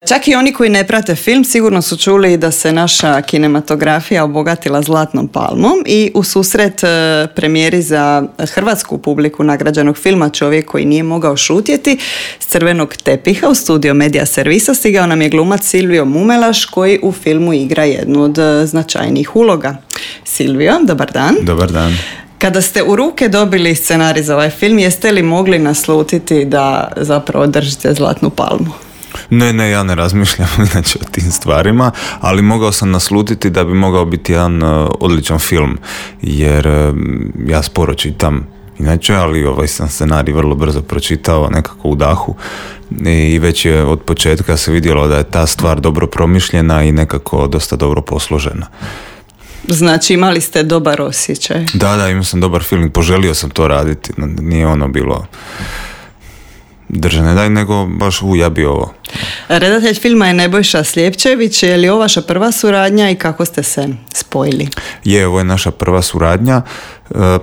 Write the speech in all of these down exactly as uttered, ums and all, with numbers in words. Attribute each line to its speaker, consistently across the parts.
Speaker 1: Čak i oni koji ne prate film sigurno su čuli da se naša kinematografija obogatila Zlatnom palmom i u susret premijeri za hrvatsku publiku nagrađenog filma Čovjek koji nije mogao šutjeti s crvenog tepiha u studio Media Servisa stigao nam je glumac Silvio Mumelaš koji u filmu igra jednu od značajnijih uloga. Silvio, dobar dan.
Speaker 2: Dobar dan.
Speaker 1: Kada ste u ruke dobili scenarij za ovaj film, jeste li mogli naslutiti da zapravo držite Zlatnu palmu?
Speaker 2: Ne, ne, ja ne razmišljam inače o tim stvarima, ali mogao sam naslutiti da bi mogao biti jedan uh, odličan film, jer uh, ja sporo čitam inače, ali ovaj sam scenarij vrlo brzo pročitao, nekako u dahu, i već je od početka se vidjelo da je ta stvar dobro promišljena i nekako dosta dobro posložena.
Speaker 1: Znači imali ste dobar osjećaj?
Speaker 2: Da, da, imao sam dobar feeling, poželio sam to raditi, nije ono bilo drže ne daj, nego baš u ja bi ovo.
Speaker 1: Redatelj filma je Nebojša Sljepčević. Je li ovo vaša prva suradnja i kako ste se spojili?
Speaker 2: Je, ovo je naša prva suradnja.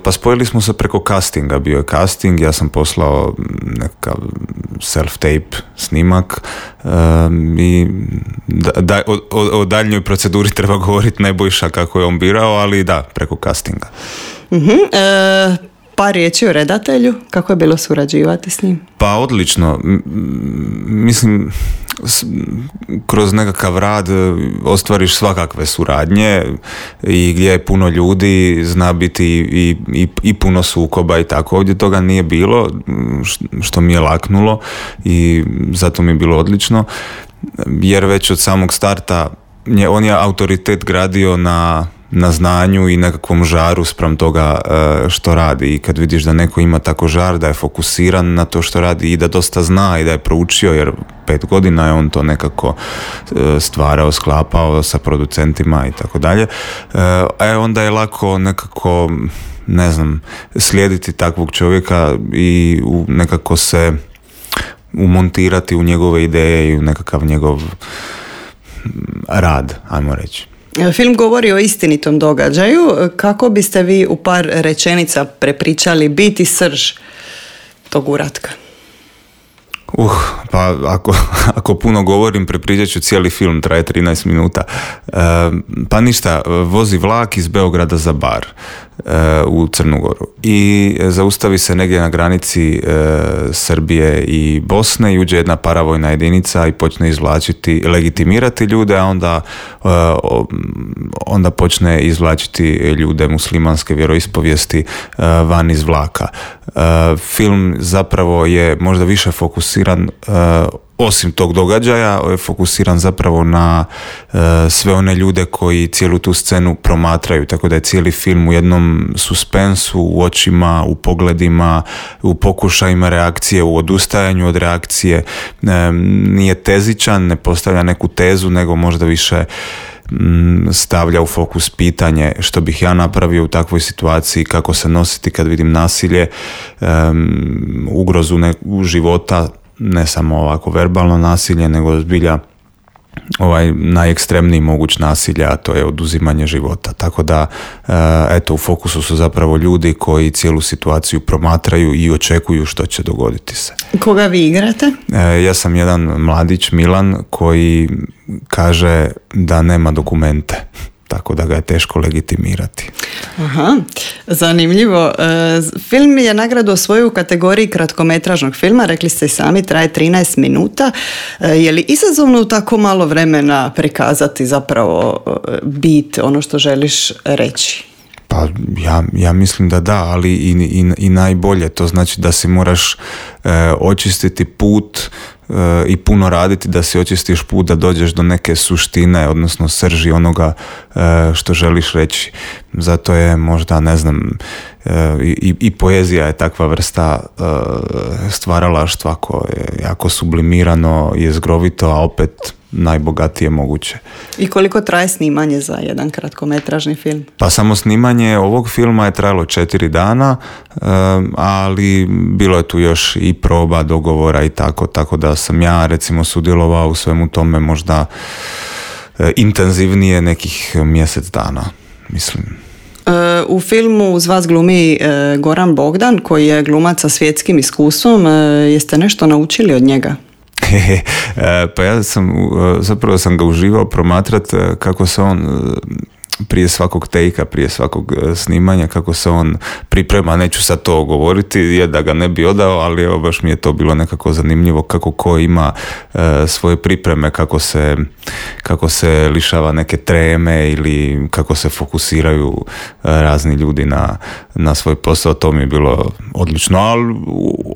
Speaker 2: Pa spojili smo se preko castinga. Bio je casting, ja sam poslao nekakav self-tape snimak um, i da, da, o, o, o daljnjoj proceduri treba govoriti Nebojša kako je on birao, ali da, preko castinga.
Speaker 1: Uh-huh. E... Par riječi o redatelju, kako je bilo surađivati s njim?
Speaker 2: Pa odlično, mislim, kroz nekakav rad ostvariš svakakve suradnje i gdje je puno ljudi, zna biti i, i, i puno sukoba i tako. Ovdje toga nije bilo, što mi je laknulo i zato mi je bilo odlično, jer već od samog starta on je autoritet gradio na na znanju i nekakvom žaru spram toga što radi, i kad vidiš da neko ima tako žar, da je fokusiran na to što radi i da dosta zna i da je proučio, jer pet godina je on to nekako stvarao, sklapao sa producentima i tako dalje, e onda je lako nekako, ne znam, slijediti takvog čovjeka i nekako se umontirati u njegove ideje i u nekakav njegov rad, ajmo reći.
Speaker 1: Film govori o istinitom događaju. Kako biste vi u par rečenica prepričali biti srž tog uratka?
Speaker 2: Uh, pa ako, ako puno govorim, prepričat ću cijeli film, traje trinaest minuta. E, pa ništa, vozi vlak iz Beograda za Bar e, u Crnu Goru i zaustavi se negdje na granici e, Srbije i Bosne i uđe jedna paravojna jedinica i počne izvlačiti, legitimirati ljude, a onda, e, onda počne izvlačiti ljude muslimanske vjeroispovijesti e, van iz vlaka. E, film zapravo je možda više fokusiran Uh, osim tog događaja, je fokusiran zapravo na uh, sve one ljude koji cijelu tu scenu promatraju, tako da je cijeli film u jednom suspensu, u očima, u pogledima, u pokušajima reakcije, u odustajanju od reakcije. Um, nije tezičan, ne postavlja neku tezu, nego možda više um, stavlja u fokus pitanje što bih ja napravio u takvoj situaciji, kako se nositi kad vidim nasilje, um, ugrozu ne, života, ne samo ovako verbalno nasilje, nego zbilja ovaj najekstremniji moguć nasilja, a to je oduzimanje života. Tako da, eto, u fokusu su zapravo ljudi koji cijelu situaciju promatraju i očekuju što će dogoditi se.
Speaker 1: Koga vi igrate?
Speaker 2: Ja sam jedan mladić, Milan, koji kaže da nema dokumente, tako da ga je teško legitimirati.
Speaker 1: Aha, zanimljivo. E, film je nagradu osvojio u kategoriji kratkometražnog filma, rekli ste i sami, traje trinaest minuta. E, je li izazovno u tako malo vremena prikazati zapravo bit, ono što želiš reći?
Speaker 2: Pa ja, ja mislim da da, ali i, i, i najbolje. To znači da si moraš e, očistiti put e, i puno raditi da si očistiš put da dođeš do neke suštine, odnosno srži onoga e, što želiš reći. Zato je možda, ne znam, e, i, i poezija je takva vrsta e, stvaralaštva koje je jako sublimirano, jezgrovito, a opet najbogatije moguće.
Speaker 1: I koliko traje snimanje za jedan kratkometražni film?
Speaker 2: Pa samo snimanje ovog filma je trajalo četiri dana, ali bilo je tu još i proba, dogovora i tako, tako da sam ja recimo sudjelovao u svemu tome možda intenzivnije nekih mjesec dana, mislim.
Speaker 1: U filmu uz vas glumi Goran Bogdan, koji je glumac sa svjetskim iskustvom. Jeste nešto naučili od njega?
Speaker 2: Pa ja sam, zapravo sam ga uživao promatrati kako se on prije svakog tejka, prije svakog snimanja, kako se on priprema, neću sad to govoriti, je da ga ne bi odao, ali evo baš mi je to bilo nekako zanimljivo kako ko ima e, svoje pripreme, kako se, kako se lišava neke treme ili kako se fokusiraju e, razni ljudi na, na svoj posao, to mi je bilo odlično, ali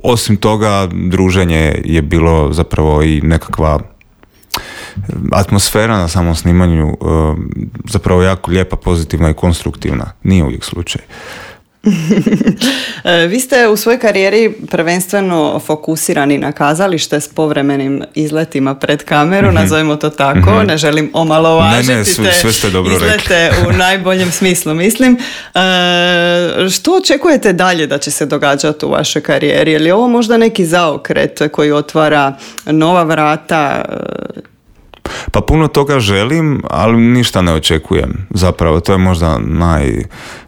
Speaker 2: osim toga druženje je bilo zapravo i nekakva atmosfera na samom snimanju zapravo jako lijepa, pozitivna i konstruktivna. Nije uvijek slučaj.
Speaker 1: Vi ste u svojoj karijeri prvenstveno fokusirani na kazalište s povremenim izletima pred kameru, mm-hmm. nazovimo to tako, mm-hmm. ne želim omalovažiti
Speaker 2: ne, ne, su,
Speaker 1: te
Speaker 2: sve ste dobro
Speaker 1: izlete
Speaker 2: rekli.
Speaker 1: U najboljem smislu, mislim. E, što očekujete dalje da će se događati u vašoj karijeri? Je li ovo možda neki zaokret koji otvara nova vrata?
Speaker 2: Pa puno toga želim, ali ništa ne očekujem. Zapravo, to je možda naj,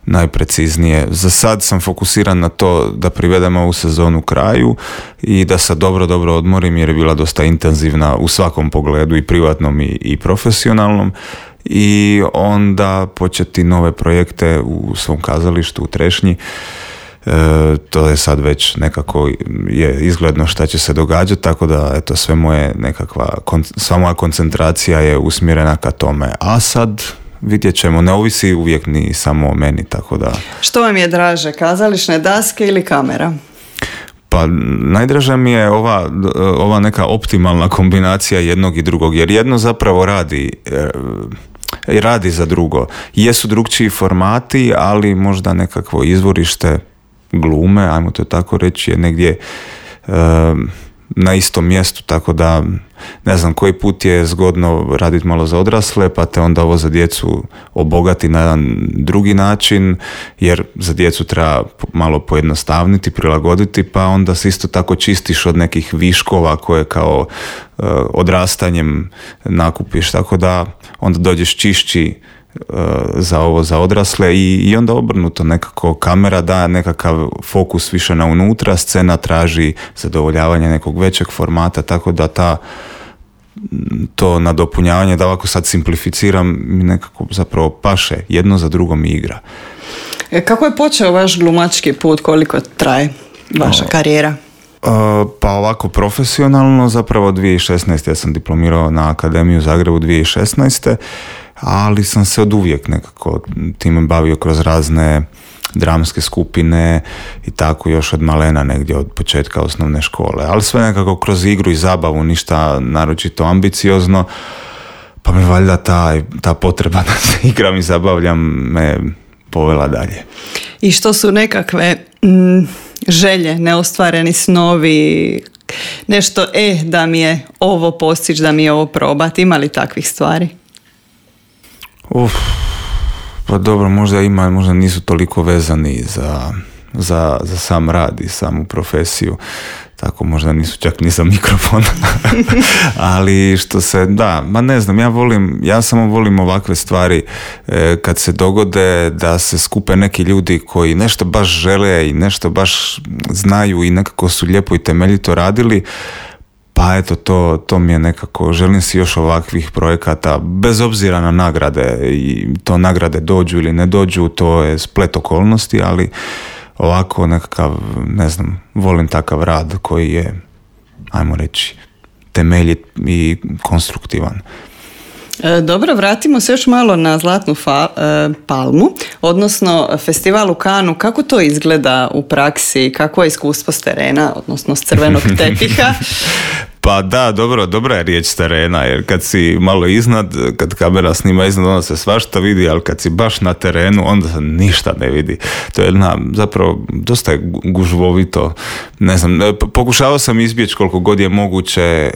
Speaker 2: najpreciznije. Za sad sam fokusiran na to da privedem ovu sezonu kraju i da se dobro, dobro odmorim jer je bila dosta intenzivna u svakom pogledu, i privatnom i, i profesionalnom. I onda početi nove projekte u svom kazalištu u Trešnji. E, to je sad već nekako je izgledno šta će se događati, tako da eto, sve moje nekakva, sva moja koncentracija je usmjerena ka tome, a sad vidjet ćemo, ne ovisi uvijek ni samo o meni, tako da...
Speaker 1: Što vam je draže, kazališne daske ili kamera?
Speaker 2: Pa najdraža mi je ova, ova neka optimalna kombinacija jednog i drugog, jer jedno zapravo radi i radi za drugo. Jesu drugčiji formati, ali možda nekakvo izvorište glume, ajmo to tako reći, je negdje e, na istom mjestu, tako da ne znam, koji put je zgodno raditi malo za odrasle, pa te onda ovo za djecu obogati na jedan drugi način, jer za djecu treba malo pojednostavniti, prilagoditi, pa onda se isto tako čistiš od nekih viškova koje kao e, odrastanjem nakupiš, tako da onda dođeš čišći za ovo za odrasle i, i onda obrnuto, nekako kamera daje nekakav fokus više na unutra, scena traži zadovoljavanje nekog većeg formata, tako da ta to nadopunjavanje, da ovako sad simplificiram, mi nekako zapravo paše, jedno za drugom igra.
Speaker 1: Kako je počeo vaš glumački put, koliko traje vaša o, karijera?
Speaker 2: Uh, pa ovako profesionalno, zapravo dvije tisuće šesnaeste. ja sam diplomirao na Akademiju u Zagrebu dvije tisuće šesnaeste. ali sam se od uvijek nekako time bavio kroz razne dramske skupine i tako još od malena, negdje od početka osnovne škole, ali sve nekako kroz igru i zabavu, ništa naročito ambiciozno, pa me valjda ta, ta potreba da se igram i zabavljam me povela dalje.
Speaker 1: I što su nekakve mm, želje, neostvareni snovi, nešto, e, da mi je ovo postići, da mi je ovo probati, ima li takvih stvari?
Speaker 2: Uf, pa dobro, možda ima, možda nisu toliko vezani za, za, za sam rad i samu profesiju, tako možda nisu čak ni za mikrofon. Ali što se, da, ma ne znam, ja volim, ja samo volim ovakve stvari e, kad se dogode da se skupe neki ljudi koji nešto baš žele i nešto baš znaju i nekako su lijepo i temeljito radili. Pa eto, to, to mi je nekako, želim si još ovakvih projekata, bez obzira na nagrade, i to nagrade dođu ili ne dođu, to je splet okolnosti, ali ovako nekakav, ne znam, volim takav rad koji je, ajmo reći, temeljit i konstruktivan.
Speaker 1: Dobro, vratimo se još malo na Zlatnu fa, e, palmu, odnosno festival u Cannesu. Kako to izgleda u praksi? Kako je iskustvo s terena, odnosno s crvenog tepiha?
Speaker 2: Pa da, dobro, dobra je riječ s terena, jer kad si malo iznad, kad kamera snima iznad, onda se svašta vidi, ali kad si baš na terenu, onda se ništa ne vidi. To je jedna, zapravo, dosta je gužvovito. Ne znam, pokušavao sam izbjeći koliko god je moguće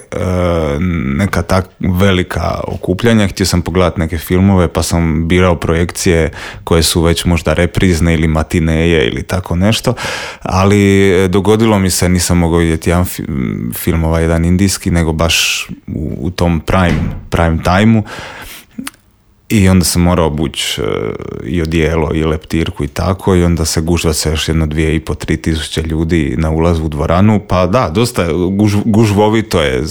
Speaker 2: neka tak velika okupljanja. Htio sam pogledati neke filmove, pa sam birao projekcije koje su već možda reprizne ili matineje ili tako nešto, ali dogodilo mi se, nisam mogao vidjeti jedan film, ovaj jedan indijski, nego baš u, u tom prime, prime time-u. I onda sam morao obući uh, i odijelo i leptirku i tako, i onda se gužva se još jedno dvije i po, tri tisuće ljudi na ulazu u dvoranu, pa da, dosta guž, gužvovito je,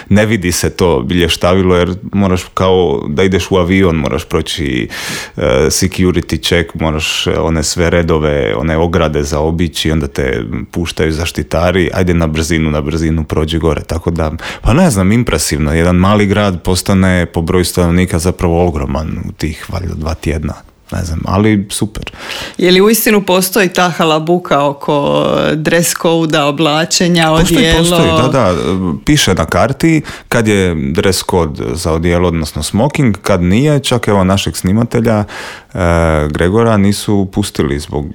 Speaker 2: ne vidi se to bilještavilo jer moraš kao da ideš u avion, moraš proći uh, security check, moraš one sve redove, one ograde zaobići, onda te puštaju zaštitari, ajde na brzinu, na brzinu prođi gore, tako da, pa ne znam, impresivno, jedan mali grad postane po broju stanovnika zapravo ogroman u tih valjda dva tjedna, ne znam, ali super.
Speaker 1: Je li uistinu postoji ta halabuka oko dress code-a, oblačenja, odijelo?
Speaker 2: Postoji, postoji, da, da, piše na karti kad je dress code za odijelo, odnosno smoking, kad nije, čak evo našeg snimatelja e, Gregora nisu pustili zbog,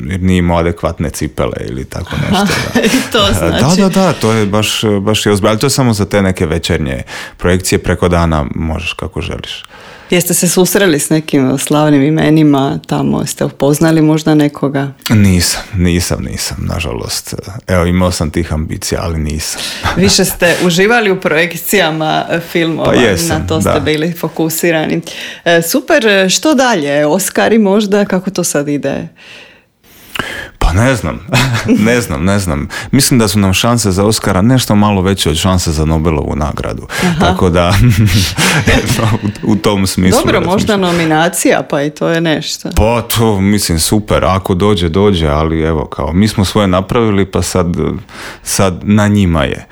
Speaker 2: jer nije imao adekvatne cipele ili tako nešto. Da.
Speaker 1: I to znači?
Speaker 2: Da, da, da, to je baš, baš je ozbiljno, ali to je samo za te neke večernje projekcije, preko dana možeš kako želiš.
Speaker 1: Jeste se susreli s nekim slavnim imenima tamo? Ste upoznali možda nekoga?
Speaker 2: Nisam, nisam, nisam, nažalost. Evo, imao sam tih ambicija, ali nisam.
Speaker 1: Više ste uživali u projekcijama filmova,
Speaker 2: pa jesam,
Speaker 1: na to ste
Speaker 2: da.
Speaker 1: bili fokusirani. E, super, što dalje? Oskari možda? Kako to sad ide?
Speaker 2: Pa ne znam, ne znam, ne znam. Mislim da su nam šanse za Oskara nešto malo veće od šanse za Nobelovu nagradu. Aha. Tako da, u, u tom smislu.
Speaker 1: Dobro, možda nominacija, pa i to je nešto.
Speaker 2: Pa to, mislim, super. Ako dođe, dođe, ali evo, kao, mi smo svoje napravili, pa sad, sad na njima je.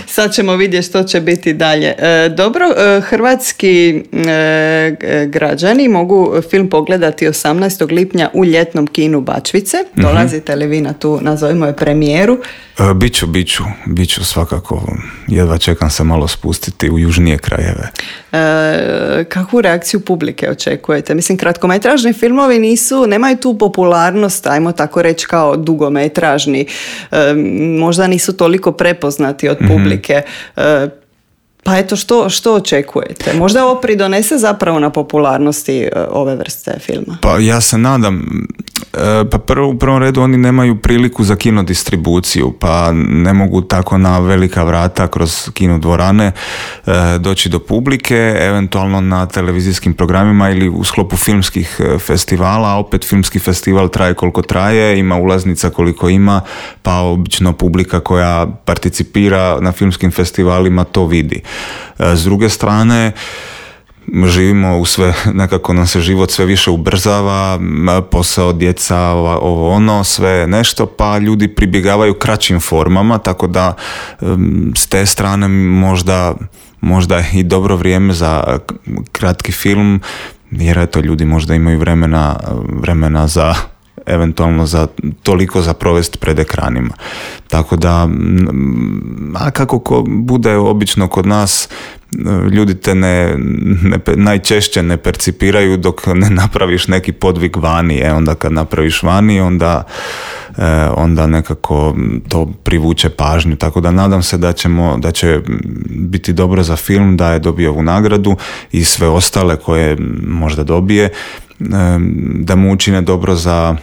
Speaker 1: Sad ćemo vidjeti što će biti dalje. E, dobro, e, hrvatski e, građani mogu film pogledati osamnaestog lipnja u ljetnom kinu Bačvice. Mm-hmm. Dolazite li vi na tu, nazovimo je, premijeru?
Speaker 2: E, biću, biću, biću svakako. Jedva čekam se malo spustiti u južnije krajeve.
Speaker 1: E, kakvu reakciju publike očekujete? Mislim, kratkometražni filmovi nisu, nemaju tu popularnost, ajmo tako reći, kao dugometražni. E, možda nisu toliko prepoznati od publike. Mm-hmm. E, Pa eto, što, što očekujete? Možda ovo pridonese zapravo na popularnosti ove vrste filma?
Speaker 2: Pa ja se nadam. Pa prvo, u prvom redu oni nemaju priliku za kino distribuciju, pa ne mogu tako na velika vrata kroz kino dvorane doći do publike, eventualno na televizijskim programima ili u sklopu filmskih festivala, a opet filmski festival traje koliko traje, ima ulaznica koliko ima, pa obično publika koja participira na filmskim festivalima to vidi. S druge strane, živimo u sve, nekako nam se život sve više ubrzava, posao, djeca, ovo ono, sve nešto, pa ljudi pribjegavaju kraćim formama, tako da s te strane možda, možda i dobro vrijeme za kratki film, jer eto ljudi možda imaju vremena, vremena za eventualno za toliko za provesti pred ekranima. Tako da, a kako ko bude obično kod nas, ljudi te ne, ne, najčešće ne percipiraju dok ne napraviš neki podvig vani. E, onda kad napraviš vani, onda, e, onda nekako to privuče pažnju. Tako da nadam se da, ćemo, da će biti dobro za film, da je dobio ovu nagradu i sve ostale koje možda dobije, e, da mu učine dobro za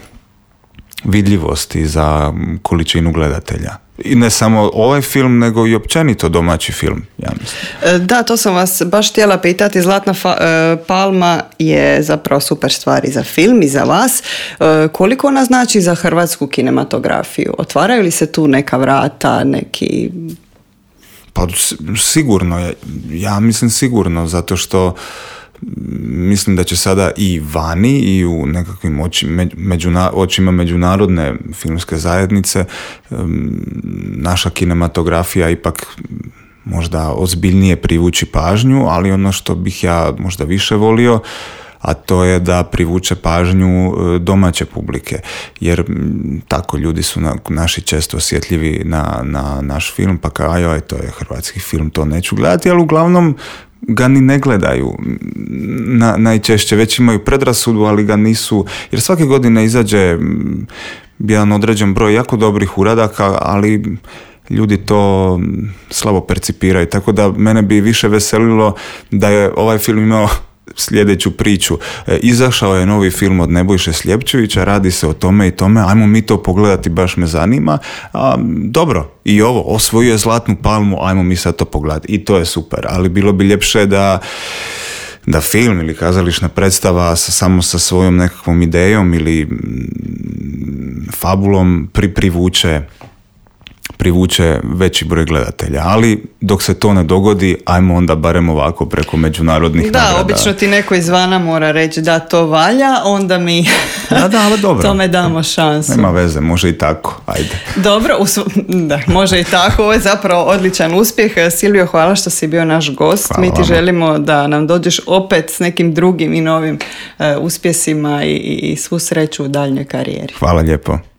Speaker 2: vidljivost i za količinu gledatelja. I ne samo ovaj film, nego i općenito domaći film, ja mislim.
Speaker 1: Da, to sam vas baš htjela pitati. Zlatna fa- palma je zapravo super stvar i za film i za vas. Koliko ona znači za hrvatsku kinematografiju? Otvaraju li se tu neka vrata, neki...
Speaker 2: Pa sigurno je. Ja mislim sigurno, zato što mislim da će sada i vani i u nekakvim oči, međuna, očima međunarodne filmske zajednice naša kinematografija ipak možda ozbiljnije privući pažnju, ali ono što bih ja možda više volio, a to je da privuče pažnju domaće publike, jer tako ljudi su na, naši često osjetljivi na, na naš film, pa kao ajoj, to je hrvatski film, to neću gledati, ali uglavnom ga ni ne gledaju. Na, najčešće već imaju predrasudu, ali ga nisu, jer svake godine izađe jedan određen broj jako dobrih uradaka, ali ljudi to slabo percipiraju, tako da mene bi više veselilo da je ovaj film imao sljedeću priču. E, izašao je novi film od Nebojše Sljepčevića, radi se o tome i tome, ajmo mi to pogledati, baš me zanima. A, dobro, i ovo, osvojio je Zlatnu palmu, ajmo mi sad to pogledati. I to je super, ali bilo bi ljepše da da film ili kazališna predstava sa, samo sa svojom nekakvom idejom ili mm, fabulom pri, privuče privuče veći broj gledatelja, ali dok se to ne dogodi, ajmo onda barem ovako preko međunarodnih
Speaker 1: da,
Speaker 2: nagrada.
Speaker 1: Da, obično ti neko izvana mora reći da to valja, onda mi
Speaker 2: da, da, ali dobro.
Speaker 1: tome damo šansu.
Speaker 2: Nema veze, može i tako, ajde.
Speaker 1: Dobro, usv... da, može i tako, ovo je zapravo odličan uspjeh. Silvio, hvala što si bio naš gost.
Speaker 2: Hvala
Speaker 1: mi ti
Speaker 2: vama.
Speaker 1: Želimo da nam dođeš opet s nekim drugim i novim uh, uspjesima i, i svu sreću u daljnjoj karijeri.
Speaker 2: Hvala lijepo.